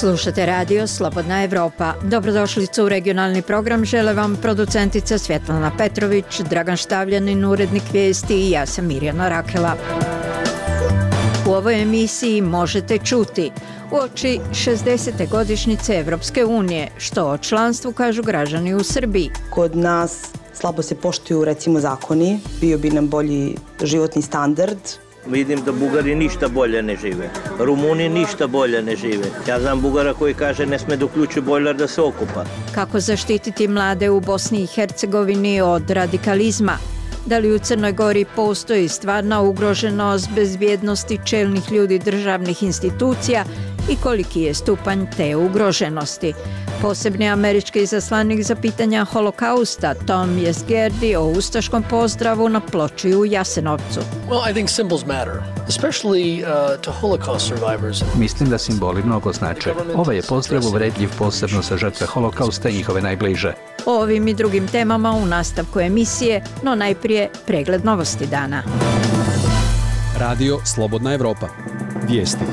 Slušate radio Slobodna Evropa. Dobrodošlicu u regionalni program žele vam producentica Svjetlana Petrović, Dragan Štavljanin, urednik vijesti i ja sam Mirjana Rakela. U ovoj emisiji možete čuti uoči 60. godišnjice Evropske unije, što o članstvu kažu građani u Srbiji. Kod nas slabo se poštuju recimo zakoni, bio bi nam bolji životni standard. Vidim da Bugari ništa bolje ne žive, Rumuni ništa bolje ne žive. Ja znam Bugara koji kaže ne sme da uključi bojler da se okupa. Kako zaštititi mlade u Bosni i Hercegovini od radikalizma? Da li u Crnoj Gori postoji stvarna ugroženost bezbjednosti čelnih ljudi državnih institucija i koliki je stupanj te ugroženosti? Posebni američki izaslanik za pitanja holokausta Tom Jesgerdi o ustaškom pozdravu na ploči u Jasenovcu. Well, I think symbols matter, especially to Holocaust survivors. Mislim da simboli mnogo znače. Ovaj je pozdrav uvredljiv posebno za žrtve holokausta i njihove najbliže. O ovim i drugim temama u nastavku emisije, no najprije pregled novosti dana. Radio Slobodna Evropa. Vijesti.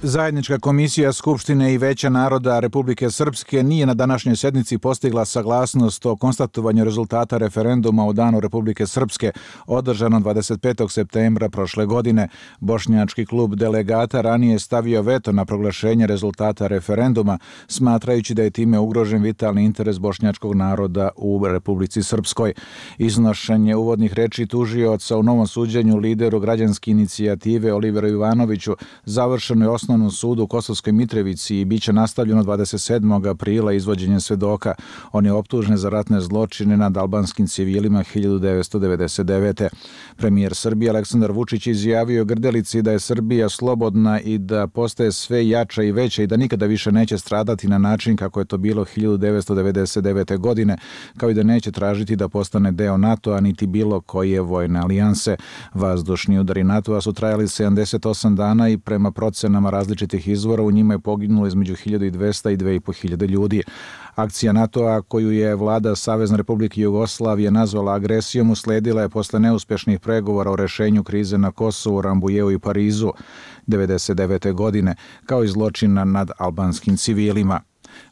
Zajednička komisija Skupštine i Veća naroda Republike Srpske nije na današnjoj sjednici postigla saglasnost o konstatovanju rezultata referenduma o Danu Republike Srpske održano 25. septembra prošle godine. Bošnjački klub delegata ranije stavio veto na proglašenje rezultata referenduma, smatrajući da je time ugrožen vitalni interes bošnjačkog naroda u Republici Srpskoj. Iznošenje uvodnih reči tužioca u novom suđenju lideru građanske inicijative Oliveru Ivanoviću završeno je Osnovnom sudu u Kosovskoj Mitrovici i bit će nastavljeno 27. aprila izvođenjem svedoka. On je optužen za ratne zločine nad albanskim civilima 1999. Premijer Srbije Aleksandar Vučić izjavio Grdelici da je Srbija slobodna i da postaje sve jača i veća i da nikada više neće stradati na način kako je to bilo 1999. godine, kao i da neće tražiti da postane deo NATO-a niti bilo koje vojne alijanse. Vazdušni udari NATO-a su trajali 78 dana i prema procenama različitih izvora u njima je poginulo između 1200 i 2500 ljudi. Akcija NATO-a koju je vlada Savezne Republike Jugoslavije nazvala agresijom usledila je posle neuspješnih pregovora o rešenju krize na Kosovu, Rambujeu i Parizu 1999. godine, kao i zločina nad albanskim civilima.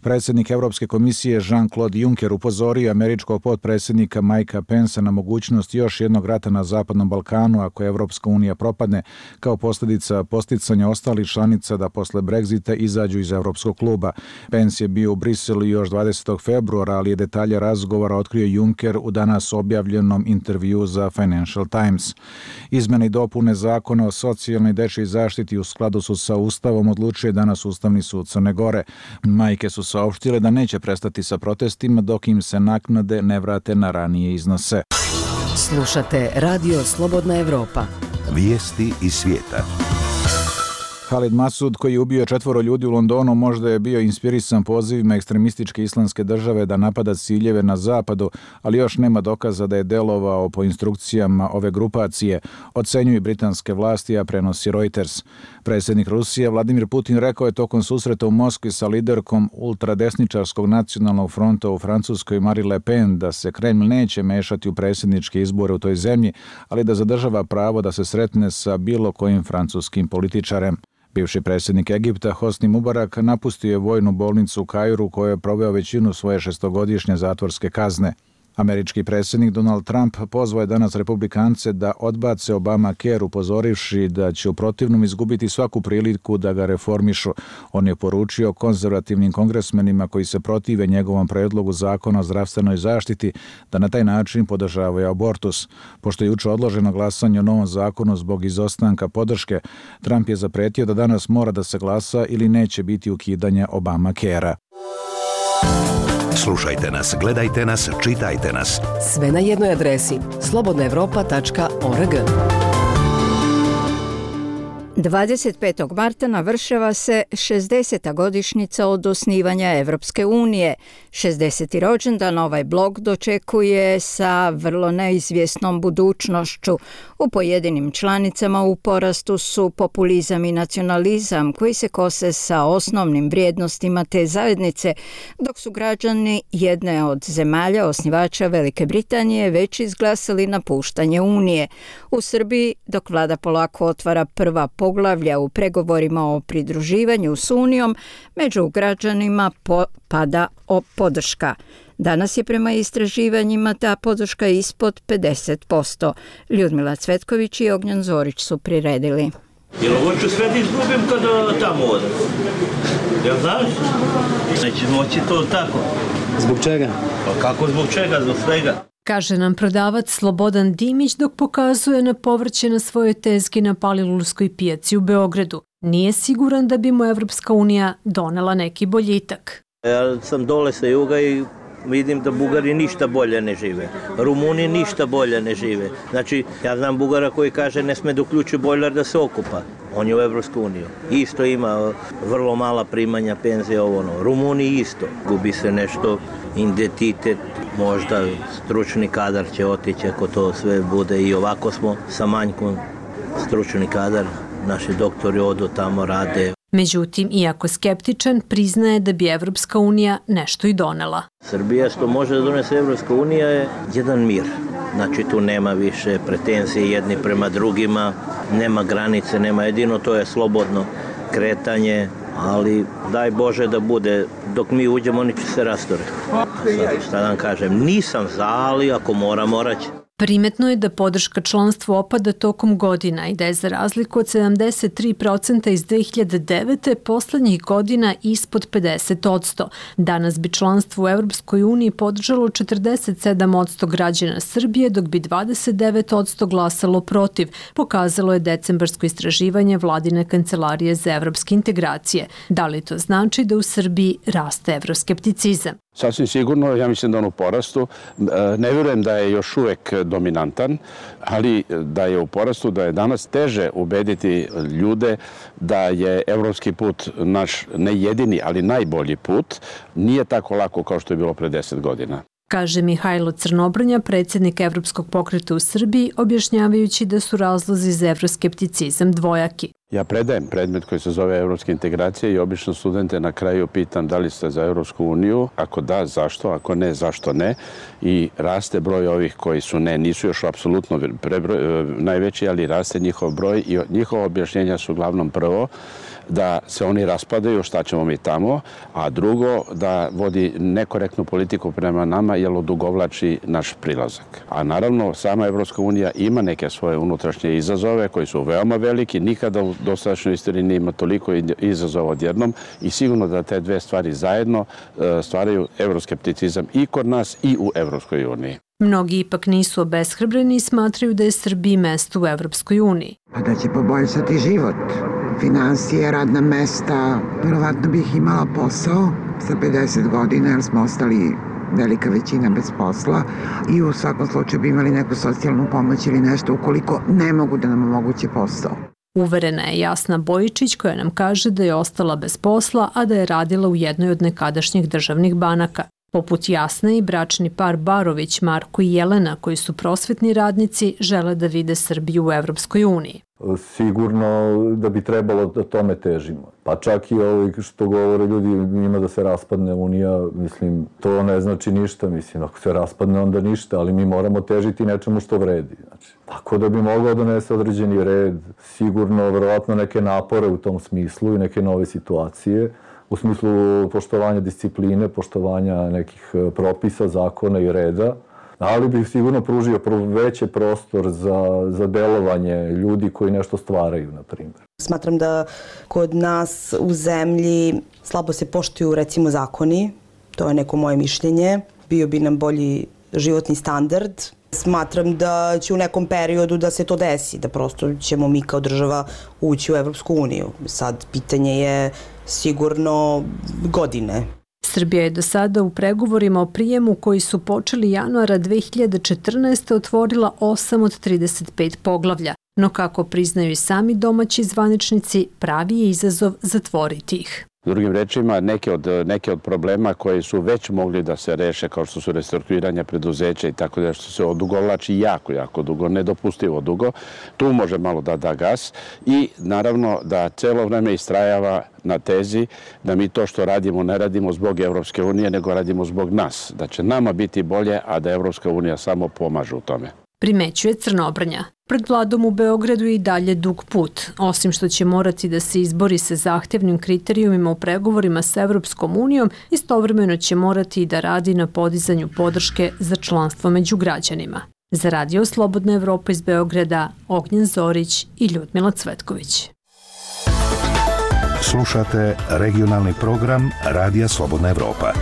Predsjednik Evropske komisije Jean-Claude Juncker upozorio američkog potpredsjednika Mikea Pensa na mogućnost još jednog rata na Zapadnom Balkanu ako Evropska unija propadne, kao posljedica posticanja ostalih članica da posle Brexita izađu iz Evropskog kluba. Pence je bio u Briselu još 20. februara, ali je detalje razgovora otkrio Juncker u danas objavljenom intervju za Financial Times. Izmjene i dopune zakona o socijalnoj i dečjoj zaštiti u skladu su sa Ustavom odlučuje danas Ustavni sud Crne Gore. Majke su saopštile da neće prestati sa protestima dok im se naknade ne vrate na ranije iznose. Slušate Radio Slobodna Evropa. Vijesti iz svijeta. Khalid Masud, koji je ubio 4 ljudi u Londonu, možda je bio inspirisan pozivima ekstremističke islamske države da napada ciljeve na zapadu, ali još nema dokaza da je delovao po instrukcijama ove grupacije, ocenjuju britanske vlasti, a prenosi Reuters. Predsjednik Rusije Vladimir Putin rekao je tokom susreta u Moskvi sa liderkom ultradesničarskog nacionalnog fronta u Francuskoj Marine Le Pen da se Kreml neće mešati u predsjedničke izbore u toj zemlji, ali da zadržava pravo da se sretne sa bilo kojim francuskim političarem. Bivši predsjednik Egipta Hosni Mubarak napustio je vojnu bolnicu u Kairu u kojoj je proveo većinu svoje 6-godišnje zatvorske kazne. Američki predsjednik Donald Trump pozvao je danas republikance da odbace Obamacare, upozorivši da će u protivnom izgubiti svaku priliku da ga reformišu. On je poručio konzervativnim kongresmenima koji se protive njegovom predlogu zakona o zdravstvenoj zaštiti da na taj način podržavaju abortus. Pošto je juče odloženo glasanje o novom zakonu zbog izostanka podrške, Trump je zapretio da danas mora da se glasa ili neće biti ukidanja Obamacarea. Slušajte nas, gledajte nas, čitajte nas. Sve na jednoj adresi slobodnaevropa.org. 25. marta navršava se 60. godišnjica od osnivanja Evropske unije. 60. rođendan ovaj blok dočekuje sa vrlo neizvjesnom budućnošću. U pojedinim članicama u porastu su populizam i nacionalizam koji se kose sa osnovnim vrijednostima te zajednice, dok su građani jedne od zemalja osnivača Velike Britanije već izglasali napuštanje Unije. U Srbiji, dok vlada polako otvara prva poglavlja poglavlja u pregovorima o pridruživanju s Unijom, među građanima pada podrška. Danas je prema istraživanjima ta podrška ispod 50%. Ljudmila Cvetković i Ognjan Zorić su priredili. Jel ovo ću sve da izgubim kada tamo odem? Jel znaš? Neće moći to tako. Zbog čega? Pa kako zbog čega? Zbog svega. Kaže nam prodavac Slobodan Dimić dok pokazuje na povrće na svojoj tezgi na Palilulskoj pijaci u Beogradu. Nije siguran da bi mu Evropska unija donela neki boljitak. Ja sam dole sa juga i vidim da Bugari ništa bolje ne žive. Rumuni ništa bolje ne žive. Znači, ja znam Bugara koji kaže ne sme da uključi bojler da se okupa. On je u Evropsku uniju. Isto ima vrlo mala primanja penzije ovo. Rumuni isto. Gubi se nešto, identitet, možda stručni kadar će otići ako to sve bude i ovako smo sa manjkom stručni kadar. Naši doktori odu tamo, rade. Međutim, iako skeptičan, priznaje da bi Evropska unija nešto i donela. Srbija što može da donese Evropska unija je jedan mir. Znači tu nema više pretenzije jedni prema drugima, nema granice, nema jedino, to je slobodno kretanje, ali daj Bože da bude, dok mi uđemo oni će se rastore. Šta da vam kažem, nisam za, ali ako morat će. Primetno je da podrška članstvu opada tokom godina i da je za razliku od 73% iz 2009. poslednjih godina ispod 50%. Danas bi članstvo u Evropskoj uniji podržalo 47% građana Srbije, dok bi 29% glasalo protiv, pokazalo je decembarsko istraživanje Vladine kancelarije za evropske integracije. Da li to znači da u Srbiji raste evroskepticizam? Sasvim sigurno, ja mislim da on u porastu. Ne vjerujem da je još uvek dominantan, ali da je u porastu, da je danas teže ubediti ljude da je evropski put naš ne jedini, ali najbolji put. Nije tako lako kao što je bilo pre 10 godina. Kaže Mihajlo Crnobrnja, predsjednik Evropskog pokreta u Srbiji, objašnjavajući da su razlozi za evroskepticizam dvojaki. Ja predajem predmet koji se zove evropske integracije i obično studente na kraju pitam da li ste za Evropsku uniju, ako da, zašto, ako ne, zašto ne. I raste broj ovih koji su ne, nisu još apsolutno najveći, ali raste njihov broj i njihova objašnjenja su uglavnom prvo da se oni raspadaju, šta ćemo mi tamo, a drugo da vodi nekorektnu politiku prema nama jer odugovlači naš prilazak. A naravno, sama Evropska unija ima neke svoje unutrašnje izazove koji su veoma veliki, nikada u dosadašnjoj istoriji nije ima toliko izazova odjednom i sigurno da te dve stvari zajedno stvaraju evroskepticizam i kod nas i u Evropskoj uniji. Mnogi ipak nisu obeshrabreni i smatraju da je Srbiji mesto u Evropskoj uniji. Pa da će poboljšati život, finansije, radna mesta, verovatno bih imala posao sa 50 godina jer smo ostali velika većina bez posla i u svakom slučaju bi imali neku socijalnu pomoć ili nešto ukoliko ne mogu da nam omoguće posao. Uverena je Jasna Bojičić koja nam kaže da je ostala bez posla, a da je radila u jednoj od nekadašnjih državnih banaka. Poput Jasne i bračni par Barović, Marko i Jelena, koji su prosvetni radnici, žele da vide Srbiju u Evropskoj uniji. Sigurno da bi trebalo da tome težimo. Pa čak i ovo što govore ljudi njima da se raspadne Unija, mislim, to ne znači ništa. Mislim, ako se raspadne onda ništa, ali mi moramo težiti nečemu što vredi. Znači, tako da bi mogao donese određeni red, sigurno, verovatno neke napore u tom smislu i neke nove situacije, u smislu poštovanja discipline, poštovanja nekih propisa, zakona i reda, ali bih sigurno pružio veći prostor za delovanje ljudi koji nešto stvaraju, na primjer. Smatram da kod nas u zemlji slabo se poštuju, recimo, zakoni. To je neko moje mišljenje. Bio bi nam bolji životni standard. Smatram da će u nekom periodu da se to desi, da prosto ćemo mi kao država ući u Evropsku uniju. Sad, pitanje je sigurno godine. Srbija je do sada u pregovorima o prijemu koji su počeli januara 2014. otvorila 8 od 35 poglavlja, no kako priznaju i sami domaći zvaničnici, pravi je izazov zatvoriti ih. Drugim rečima, neke od problema koji su već mogli da se reše, kao što su restrukturiranja preduzeća i tako da što se odugovlači jako dugo, nedopustivo dugo, tu može malo da da gas i naravno da celo vreme istrajava na tezi da mi to što radimo ne radimo zbog Evropske unije, nego radimo zbog nas. Da će nama biti bolje, a da Evropska unija samo pomaže u tome. primećuje Crnobrnja. Pred vladom u Beogradu je i dalje dug put. Osim što će morati da se izbori sa zahtevnim kriterijumima u pregovorima sa Evropskom unijom, istovremeno će morati i da radi na podizanju podrške za članstvo među građanima. Za Radio Slobodna Evropa iz Beograda, Ognjen Zorić i Ljudmila Cvetković. Slušate regionalni program Radija Slobodna Evropa.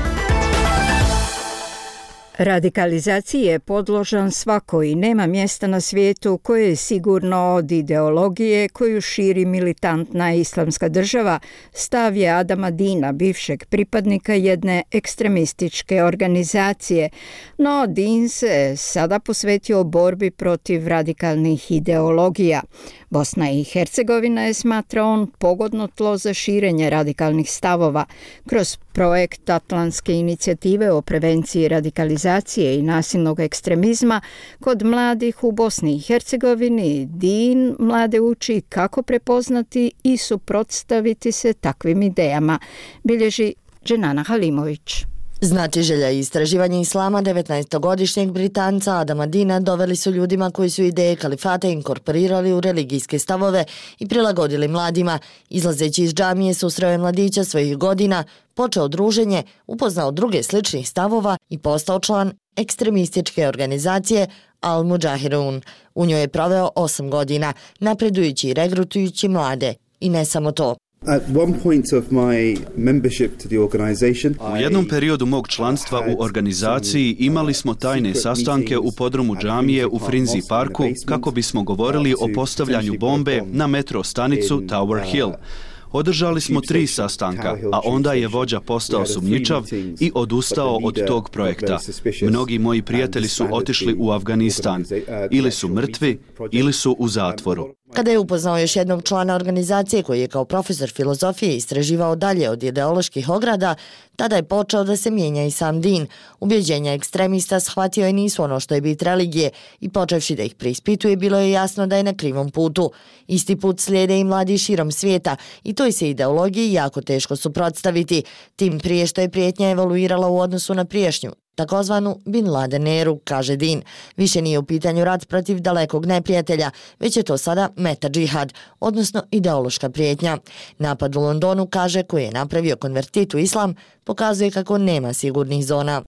Radikalizaciji je podložan svako i nema mjesta na svijetu koje je sigurno od ideologije koju širi militantna islamska država, stav je Adama Dina, bivšeg pripadnika jedne ekstremističke organizacije. No, Din se sada posvetio borbi protiv radikalnih ideologija. Bosna i Hercegovina je, smatra on, pogodno tlo za širenje radikalnih stavova. Kroz projekt Atlantske inicijative o prevenciji radikalizacije i nasilnog ekstremizma kod mladih u Bosni i Hercegovini, Din mlade uči kako prepoznati i suprotstaviti se takvim idejama, bilježi Dženana Halimović. Znatiželja i istraživanje islama 19-godišnjeg Britanca Adama Dina doveli su ljudima koji su ideje kalifata inkorporirali u religijske stavove i prilagodili mladima. Izlazeći iz džamije susreo je mladića svojih godina, počeo druženje, upoznao druge sličnih stavova i postao član ekstremističke organizacije Al-Mujahirun. U njoj je proveo 8 godina, napredujući i regrutujući mlade. I ne samo to. U jednom periodu mog članstva u organizaciji imali smo tajne sastanke u podrumu džamije u Frinzi parku kako bismo govorili o postavljanju bombe na metro stanicu Tower Hill. Održali smo 3 sastanka, a onda je vođa postao sumnjičav i odustao od tog projekta. Mnogi moji prijatelji su otišli u Afganistan. Ili su mrtvi, ili su u zatvoru. Kada je upoznao još jednog člana organizacije koji je kao profesor filozofije istraživao dalje od ideoloških ograda, tada je počeo da se mijenja i sam Din. Ubjeđenja ekstremista shvatio je nisu ono što je bit religije i počevši da ih preispituje, bilo je jasno da je na krivom putu. Isti put slijede i mladi širom svijeta i toj se ideologiji jako teško suprotstaviti, tim prije što je prijetnja evoluirala u odnosu na priješnju, takozvanu Bin Laden eru, kaže Din. Više nije u pitanju rat protiv dalekog neprijatelja, već je to sada meta džihad, odnosno ideološka prijetnja. Napad u Londonu, kaže, koji je napravio konvertit u islam, pokazuje kako nema sigurnih zona.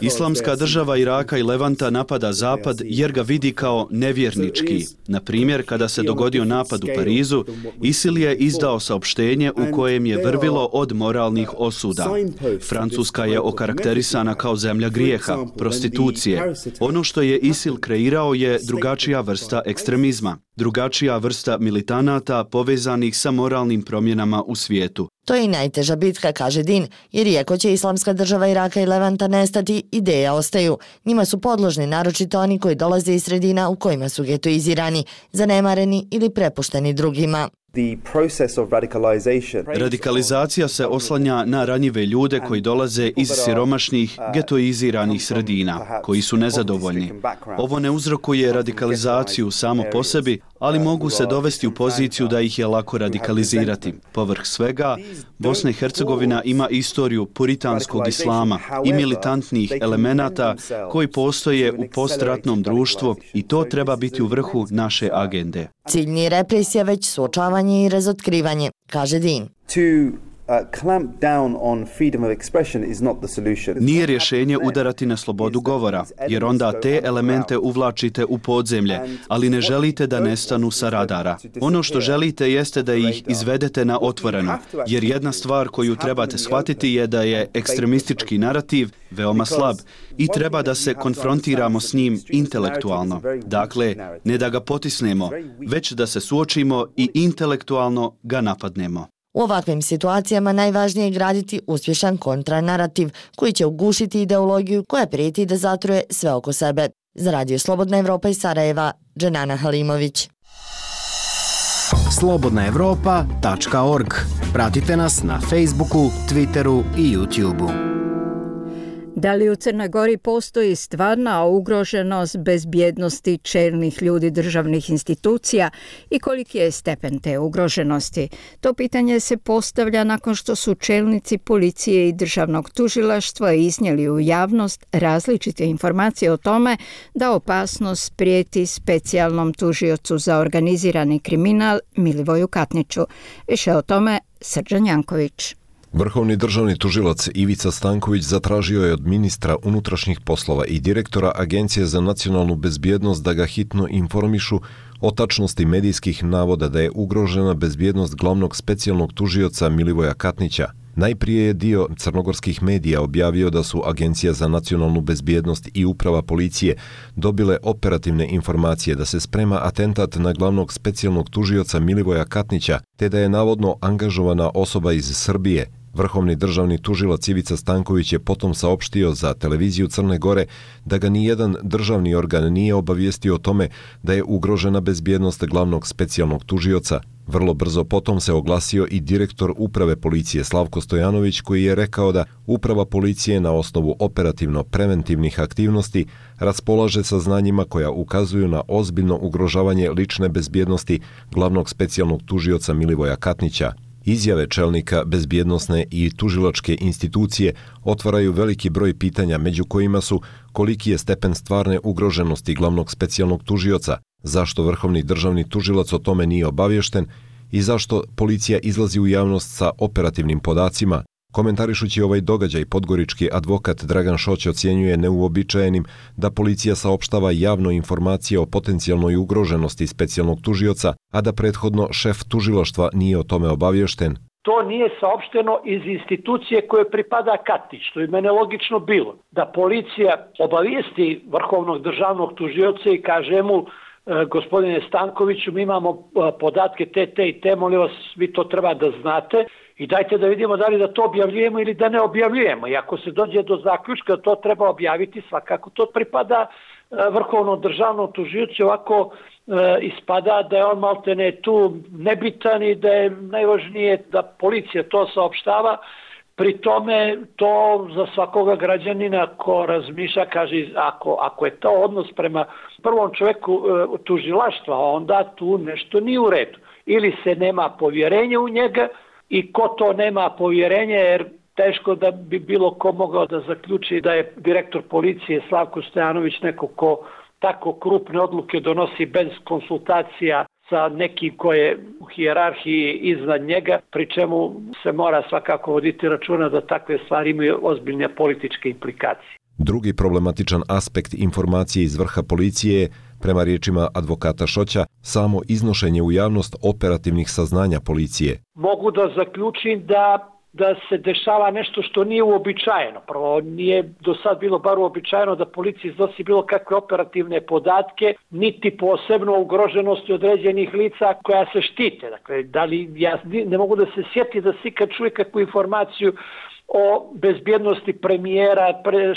Islamska država Iraka i Levanta napada Zapad jer ga vidi kao nevjernički. Na primjer, kada se dogodio napad u Parizu, ISIL je izdao saopštenje u kojem je vrvilo od moralnih osuda. Francuska je okarakterisana kao zemlja grijeha, prostitucije. Ono što je ISIL kreirao je drugačija vrsta ekstremizma, drugačija vrsta militanata povezanih sa moralnim promjenama u svijetu. To je i najteža bitka, kaže Din, jer iako će islamska država Iraka i Levanta nestati, ideje ostaju. Njima su podložni naročito oni koji dolaze iz sredina u kojima su getoizirani, zanemareni ili prepušteni drugima. Radikalizacija se oslanja na ranjive ljude koji dolaze iz siromašnih, getoiziranih sredina, koji su nezadovoljni. Ovo ne uzrokuje radikalizaciju samo po sebi, ali mogu se dovesti u poziciju da ih je lako radikalizirati. Povrh svega, Bosna i Hercegovina ima istoriju puritanskog islama i militantnih elemenata koji postoje u postratnom društvu i to treba biti u vrhu naše agende. Cilj nije represija, već suočavanje i razotkrivanje, kaže Din. Nije rješenje udarati na slobodu govora, jer onda te elemente uvlačite u podzemlje, ali ne želite da nestanu sa radara. Ono što želite jeste da ih izvedete na otvoreno, jer jedna stvar koju trebate shvatiti je da je ekstremistički narativ veoma slab i treba da se konfrontiramo s njim intelektualno. Dakle, ne da ga potisnemo, već da se suočimo i intelektualno ga napadnemo. U ovakvim situacijama najvažnije je graditi uspješan kontranarativ koji će ugušiti ideologiju koja prijeti da zatruje sve oko sebe. Za Radio Slobodna Evropa iz Sarajeva, Dženana Halimović. slobodnaevropa.org. Pratite nas na Facebooku, Twitteru i YouTubeu. Da li u Crnoj Gori postoji stvarna ugroženost bezbjednosti čelnih ljudi državnih institucija i koliki je stepen te ugroženosti? To pitanje se postavlja nakon što su čelnici policije i državnog tužilaštva iznijeli u javnost različite informacije o tome da opasnost prijeti specijalnom tužiocu za organizirani kriminal Milivoju Katniću. Više o tome Srđan Janković. Vrhovni državni tužilac Ivica Stanković zatražio je od ministra unutrašnjih poslova i direktora Agencije za nacionalnu bezbjednost da ga hitno informišu o tačnosti medijskih navoda da je ugrožena bezbjednost glavnog specijalnog tužioca Milivoja Katnića. Najprije je dio crnogorskih medija objavio da su Agencija za nacionalnu bezbjednost i uprava policije dobile operativne informacije da se sprema atentat na glavnog specijalnog tužioca Milivoja Katnića, te da je navodno angažovana osoba iz Srbije. Vrhovni državni tužilac Ivica Stanković je potom saopštio za televiziju Crne Gore da ga nijedan državni organ nije obavijestio o tome da je ugrožena bezbjednost glavnog specijalnog tužioca. Vrlo brzo potom se oglasio i direktor uprave policije Slavko Stojanović, koji je rekao da uprava policije na osnovu operativno-preventivnih aktivnosti raspolaže saznanjima koja ukazuju na ozbiljno ugrožavanje lične bezbjednosti glavnog specijalnog tužioca Milivoja Katnića. Izjave čelnika bezbjednosne i tužilačke institucije otvaraju veliki broj pitanja, među kojima su koliki je stepen stvarne ugroženosti glavnog specijalnog tužioca, zašto vrhovni državni tužilac o tome nije obaviješten i zašto policija izlazi u javnost sa operativnim podacima. Komentarišući ovaj događaj, podgorički advokat Dragan Šoć ocjenjuje neuobičajenim da policija saopštava javno informacije o potencijalnoj ugroženosti specijalnog tužioca, a da prethodno šef tužilaštva nije o tome obaviješten. To nije saopšteno iz institucije koje pripada Katnić, što je mene logično bilo. Da policija obavijesti vrhovnog državnog tužioca i kaže mu: gospodine Stankoviću, mi imamo podatke te i te, molim vas, vi to treba da znate i dajte da vidimo da li da to objavljujemo ili da ne objavljujemo. I ako se dođe do zaključka da to treba objaviti, svakako to pripada vrhovnom državnom tužiocu. Ovako ispada da je on maltene tu nebitan i da je najvažnije da policija to saopštava. Pri tome to za svakoga građanina ko razmišlja, kaže, ako je to odnos prema prvom čoveku tužilaštva, onda tu nešto nije u redu. Ili se nema povjerenja u njega i ko to nema povjerenja, jer teško da bi bilo ko mogao da zaključi da je direktor policije Slavko Stojanović neko ko tako krupne odluke donosi bez konsultacija sa nekim ko je u hijerarhiji iznad njega, pri čemu se mora svakako voditi računa da takve stvari imaju ozbiljne političke implikacije. Drugi problematičan aspekt informacije iz vrha policije je, prema riječima advokata Šoća, samo iznošenje u javnost operativnih saznanja policije. Mogu da zaključim da se dešava nešto što nije uobičajeno. Prvo, nije do sad bilo bar uobičajeno da policija iznosi bilo kakve operativne podatke, niti posebno ugroženosti određenih lica koja se štite. Dakle, da li, ja ne mogu da se sjeti da si kad čuje kakvu informaciju o bezbjednosti premijera,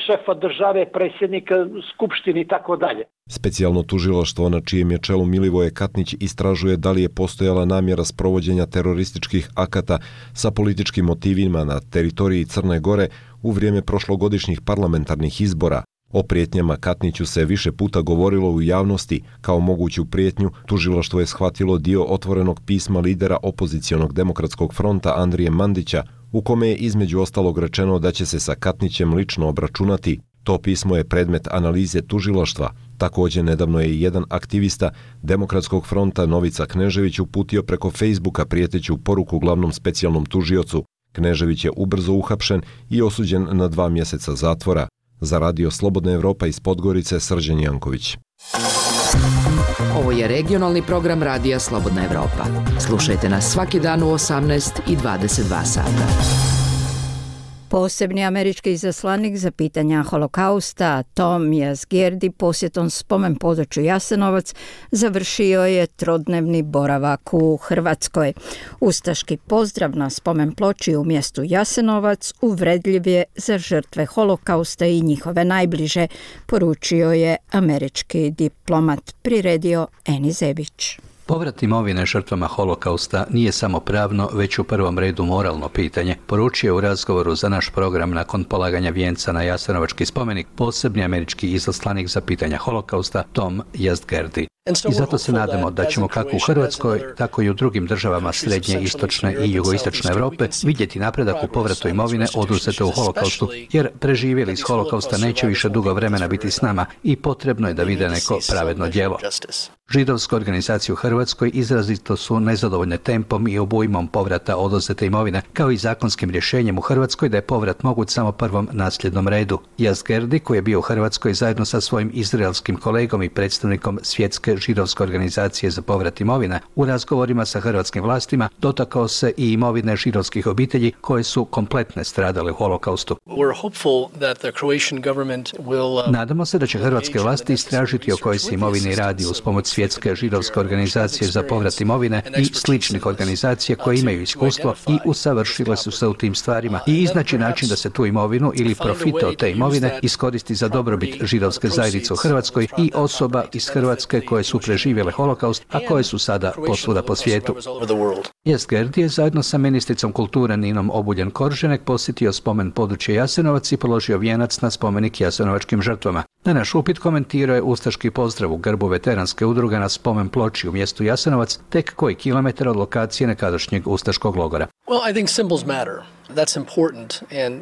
šefa države, predsjednika Skupštine i tako dalje. Specijalno tužilaštvo na čijem je čelu Milivoje Katnić istražuje da li je postojala namjera sprovođenja terorističkih akata sa političkim motivima na teritoriji Crne Gore u vrijeme prošlogodišnjih parlamentarnih izbora. O prijetnjama Katniću se više puta govorilo u javnosti. Kao moguću prijetnju, tužilaštvo je shvatilo dio otvorenog pisma lidera opozicionog demokratskog fronta Andrije Mandića, u kome je između ostalog rečeno da će se sa Katnićem lično obračunati. To pismo je predmet analize tužilaštva. Također, nedavno je jedan aktivista Demokratskog fronta Novica Knežević uputio preko Facebooka prijeteću poruku glavnom specijalnom tužiocu. Knežević je ubrzo uhapšen i osuđen na 2 mjeseca zatvora. Za Radio Slobodna Evropa iz Podgorice, Srđan Janković. Ovo je regionalni program Radija Slobodna Evropa. Slušajte nas svaki dan u 18 i 22 sata. Posebni američki izaslanik za pitanja holokausta Tom Yazgirdi posjetom spomen području Jasenovac završio je trodnevni boravak u Hrvatskoj. Ustaški pozdrav na spomen ploči u mjestu Jasenovac uvredljiv je za žrtve holokausta i njihove najbliže, poručio je američki diplomat, priredio Eni Zebić. Povrat imovine žrtvama holokausta nije samo pravno, već u prvom redu moralno pitanje, poručio je u razgovoru za naš program nakon polaganja vijenca na Jasenovački spomenik posebni američki izaslanik za pitanja holokausta Tom Yazd-Gerdi. I zato se nadamo da ćemo kako u Hrvatskoj, tako i u drugim državama srednje, istočne i jugoistočne Europe vidjeti napredak u povratu imovine oduzete u holokaustu, jer preživjeli iz holokausta neće više dugo vremena biti s nama i potrebno je da vide neko pravedno djelo. Židovske organizacije u Hrvatskoj izrazito su nezadovoljne tempom i obujmom povrata oduzete imovine, kao i zakonskim rješenjem u Hrvatskoj da je povrat moguć samo prvom nasljednom redu. Yazd-Gerdi, koji je bio u Hrvatskoj zajedno sa svojim izraelskim kolegom i predstavnikom Svjetske židovske organizacije za povrat imovine, u razgovorima sa hrvatskim vlastima dotakao se i imovine židovskih obitelji koje su kompletne stradale u holokaustu. Nadamo se da će hrvatske vlasti istražiti o kojoj se imovini radi uz pomoć Svjetske židovske organizacije za povrat imovine i sličnih organizacija koje imaju iskustvo i usavršile su se u tim stvarima i iznaći način da se tu imovinu ili profite od te imovine iskoristi za dobrobit židovske zajednice u Hrvatskoj i osoba iz Hrvatske koje su preživjele holokaust, a koje su sada posvuda po svijetu. Yazd-Gerdi je zajedno sa ministricom kulture Ninom Obuljen-Koržinek posjetio spomen područje Jasenovac i položio vijenac na spomenik jasenovačkim žrtvama. Na naš upit komentirao je ustaški pozdrav u grbu veteranske udruge na spomen ploči u mjestu Jasenovac, tek koji kilometar od lokacije nekadašnjeg ustaškog logora.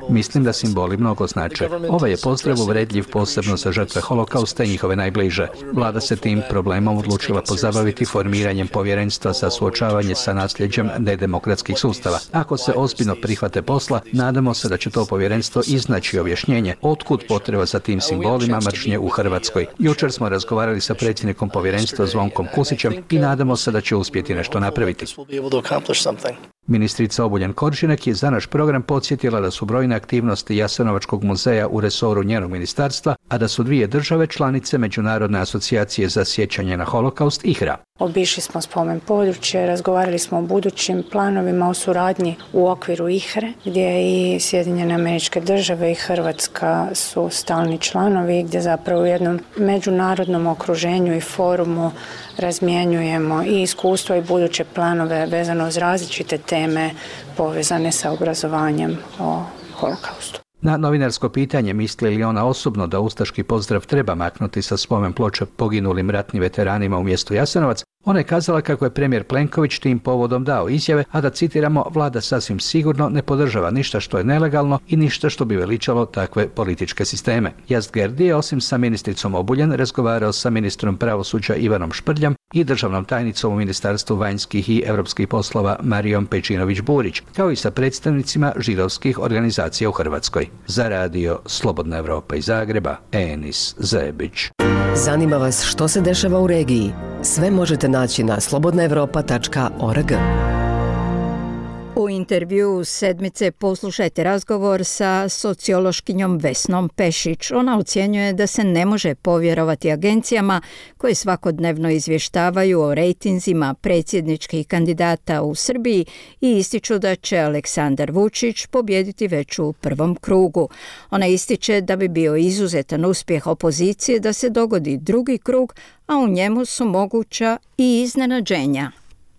Mislim da simboli mnogo znače. Ovaj je pozdrav uvredljiv posebno za žrtve holokausta i njihove najbliže. Vlada se tim problemom odlučila pozabaviti formiranjem povjerenstva za suočavanje sa nasljeđem nedemokratskih sustava. Ako se ozbiljno prihvate posla, nadamo se da će to povjerenstvo iznaći objašnjenje otkud potreba za tim simbolima mržnje u Hrvatskoj. Jučer smo razgovarali sa predsjednikom povjerenstva Zvonkom Kusićem i nadamo se da će uspjeti nešto napraviti. Ministrica Obuljen-Koržinek je za naš program podsjetila da su brojne aktivnosti Jasenovačkog muzeja u resoru njenog ministarstva, a da su dvije države članice Međunarodne asocijacije za sjećanje na holokaust IHRA. Obišli smo spomen područje, razgovarali smo o budućim planovima o suradnji u okviru IHRE, gdje i Sjedinjene Američke Države i Hrvatska su stalni članovi, gdje zapravo u jednom međunarodnom okruženju i forumu razmjenjujemo i iskustva i buduće planove vezano uz različite teme povezane sa obrazovanjem o holokaustu. Na novinarsko pitanje misli li ona osobno da ustaški pozdrav treba maknuti sa spomen ploče poginulim ratnim veteranima u mjestu Jasenovac, ona je kazala kako je premijer Plenković tim povodom dao izjave, a da citiramo, vlada sasvim sigurno ne podržava ništa što je nelegalno i ništa što bi veličalo takve političke sisteme. Yazd-Gerdi je osim sa ministricom Obuljen razgovarao sa ministrom pravosuđa Ivanom Šprljom i državnom tajnicom u Ministarstvu vanjskih i europskih poslova Marijom Pejčinović-Burić, kao i sa predstavnicima židovskih organizacija u Hrvatskoj. Za radio Slobodna Evropa iz Zagreba, Enis Zebić. Zanima vas što se dešava u regiji? Sve možete naći na slobodnaevropa.org. U intervju sedmice poslušajte razgovor sa sociološkinjom Vesnom Pešić. Ona ocjenjuje da se ne može povjerovati agencijama koje svakodnevno izvještavaju o rejtinzima predsjedničkih kandidata u Srbiji i ističu da će Aleksandar Vučić pobijediti već u prvom krugu. Ona ističe da bi bio izuzetan uspjeh opozicije da se dogodi drugi krug, a u njemu su moguća i iznenađenja.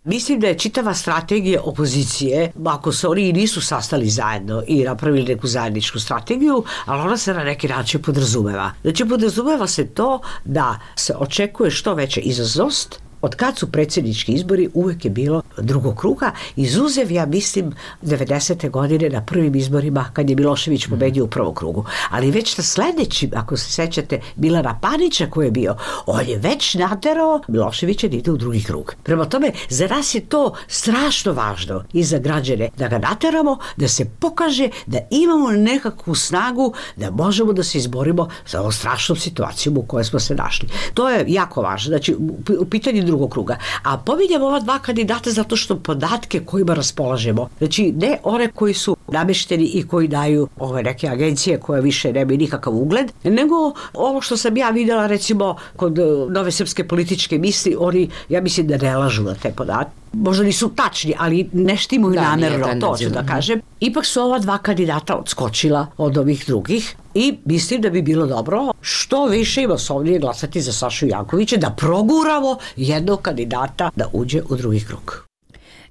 Mislim da je čitava strategija opozicije, ako se oni nisu sastali zajedno i napravili neku zajedničku strategiju, ali ona se na neki način podrazumeva. Znači podrazumeva se to da se očekuje što veća izazovnost. Od kad su predsjednički izbori uvijek je bilo drugog kruga, izuzev, ja mislim, 90. godine na prvim izborima kad je Milošević pobedio u prvom krugu. Ali već na sljedećim, ako se sećate, Milana Panića koji je bio, on je već naterao Miloševića da ide u drugi krug. Prema tome, za nas je to strašno važno i za građane da ga nateramo, da se pokaže da imamo nekakvu snagu da možemo da se izborimo za ovom strašnom situacijom u kojoj smo se našli. To je jako važno. Znači, u pitanju drugog kruga. A pominjamo ova dva kandidata zato što podatke kojima raspolažemo, znači ne one koji su namešteni i koji daju ove neke agencije koje više nemaju nikakav ugled, nego ovo što sam ja vidjela recimo kod Nove srpske političke misli, oni, ja mislim da ne lažu na te podatke. Možda nisu tačni, ali ne štimuju namjerno, to ću da kažem. Ipak su ova dva kandidata odskočila od ovih drugih i mislim da bi bilo dobro što što više i masovnije glasati za Sašu Jankovića, da proguramo jednog kandidata da uđe u drugi krug.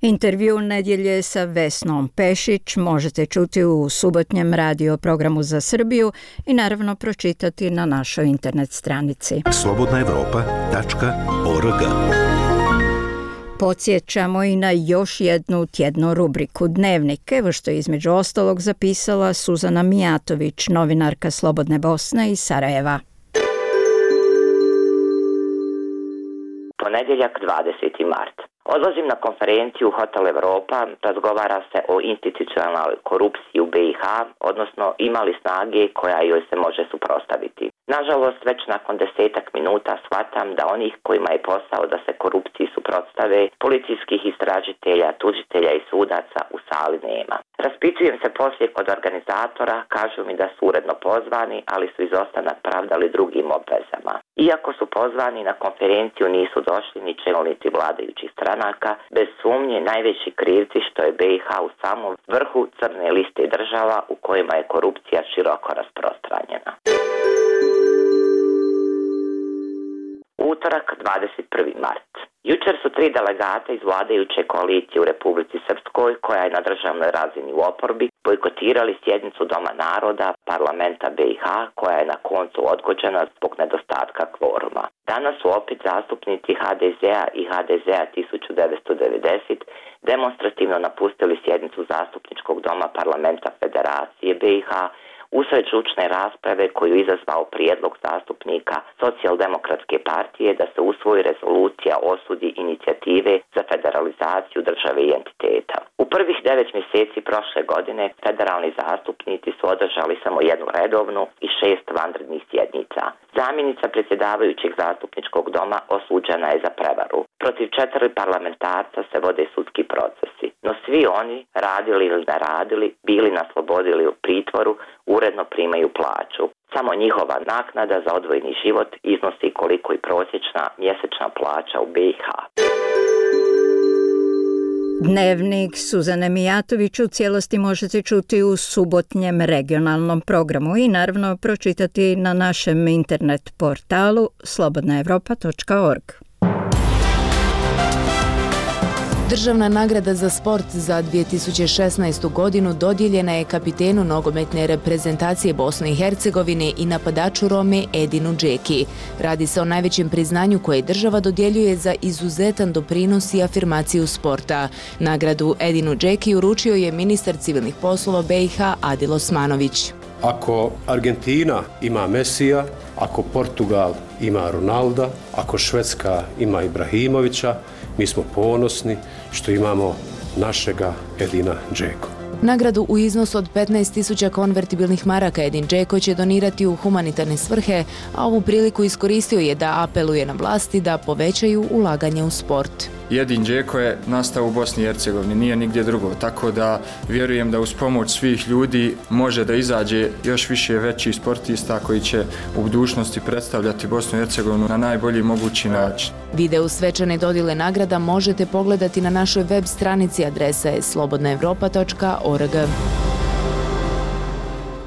Intervju nedjelje sa Vesnom Pešić možete čuti u subotnjem radio programu za Srbiju i naravno pročitati na našoj internet stranici. slobodnaevropa.org. Podsjećamo i na još jednu tjednu rubriku Dnevnik, evo što je između ostalog zapisala Suzana Mijatović, novinarka Slobodne Bosne iz Sarajeva. Ponedjeljak 20. mart. Odlazim na konferenciju u Hotel Evropa, razgovara se o institucionalnoj korupciji u BiH, odnosno ima li snage koja joj se može suprotstaviti. Nažalost, već nakon 10 minuta shvatam da onih kojima je posao da se korupciji suprotstave, policijskih istražitelja, tužitelja i sudaca u sali nema. Raspitujem se poslije kod organizatora, kažu mi da su uredno pozvani, ali su izostanak pravdali drugim obvezama. Iako su pozvani, na konferenciju nisu došli ni čelnici vladajućih stranaka, bez sumnje najveći krivci što je BiH u samom vrhu crne liste država u kojima je korupcija široko rasprostranjena. Utorak, 21. mart. Jučer su 3 delegata iz vladajuće koalicije u Republici Srpskoj, koja je na državnoj razini u oporbi, bojkotirali sjednicu Doma naroda parlamenta BiH, koja je na koncu odgođena zbog nedostatka kvoruma. Danas su opet zastupnici HDZ-a i HDZ-a 1990 demonstrativno napustili sjednicu zastupničkog doma parlamenta Federacije BiH, usred žučne rasprave koju izazvao prijedlog zastupnika Socijaldemokratske partije da se usvoji rezolucija o osudi inicijative za federalizaciju države i entiteta. U prvih 9 mjeseci prošle godine federalni zastupnici su održali samo jednu redovnu i 6 vanrednih sjednica. Zamjenica predsjedavajućeg zastupničkog doma osuđena je za prevaru. Protiv 4 parlamentarca se vode sudski procesi, no svi oni, radili ili ne radili, bili na slobodi ili u pritvoru, uredno primaju plaću. Samo njihova naknada za odvojeni život iznosi koliko i prosječna mjesečna plaća u BiH. Dnevnik Suzane Mijatović u cijelosti možete čuti u subotnjem regionalnom programu i naravno pročitati na našem internet portalu slobodnaevropa.org. Državna nagrada za sport za 2016. godinu dodijeljena je kapitenu nogometne reprezentacije Bosne i Hercegovine i napadaču Rome Edinu Džeki. Radi se o najvećem priznanju koje država dodjeljuje za izuzetan doprinos i afirmaciju sporta. Nagradu Edinu Džeki uručio je ministar civilnih poslova BiH Adil Osmanović. Ako Argentina ima Mesija, ako Portugal ima Ronalda, ako Švedska ima Ibrahimovića, mi smo ponosni što imamo našega Edina Džeko. Nagradu u iznosu od 15.000 konvertibilnih maraka Edin Džeko će donirati u humanitarne svrhe, a ovu priliku iskoristio je da apeluje na vlasti da povećaju ulaganje u sport. Edin Džeko je nastao u Bosni i Hercegovini, nije nigdje drugo, tako da vjerujem da uz pomoć svih ljudi može da izađe još više većih sportista koji će u budućnosti predstavljati Bosnu i Hercegovinu na najbolji mogući način. Video svečane dodjele nagrada možete pogledati na našoj web stranici, adresa je slobodnaevropa.org.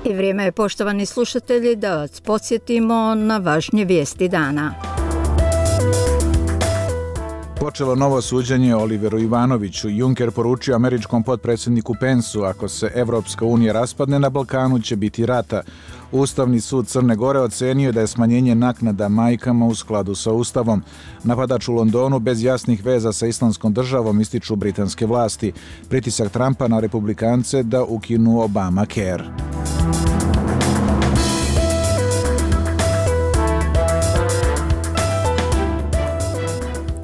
I vrijeme je, poštovani slušatelji, da vas podsjetimo na važnije vijesti dana. Počelo novo suđenje Oliveru Ivanoviću. Juncker poručio američkom potpredsjedniku Pensu, ako se Evropska unija raspadne, na Balkanu će biti rata. Ustavni sud Crne Gore ocenio da je smanjenje naknada majkama u skladu sa Ustavom. Napadač u Londonu bez jasnih veza sa Islamskom državom, ističu britanske vlasti. Pritisak Trumpa na republikance da ukinu Obamacare.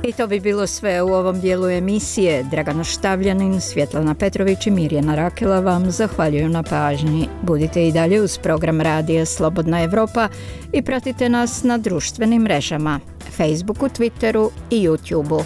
I to bi bilo sve u ovom dijelu emisije. Dragana Štavljanin, Svjetlana Petrović i Mirjana Rakela vam zahvaljuju na pažnji. Budite i dalje uz program Radija Slobodna Evropa i pratite nas na društvenim mrežama, Facebooku, Twitteru i YouTubeu.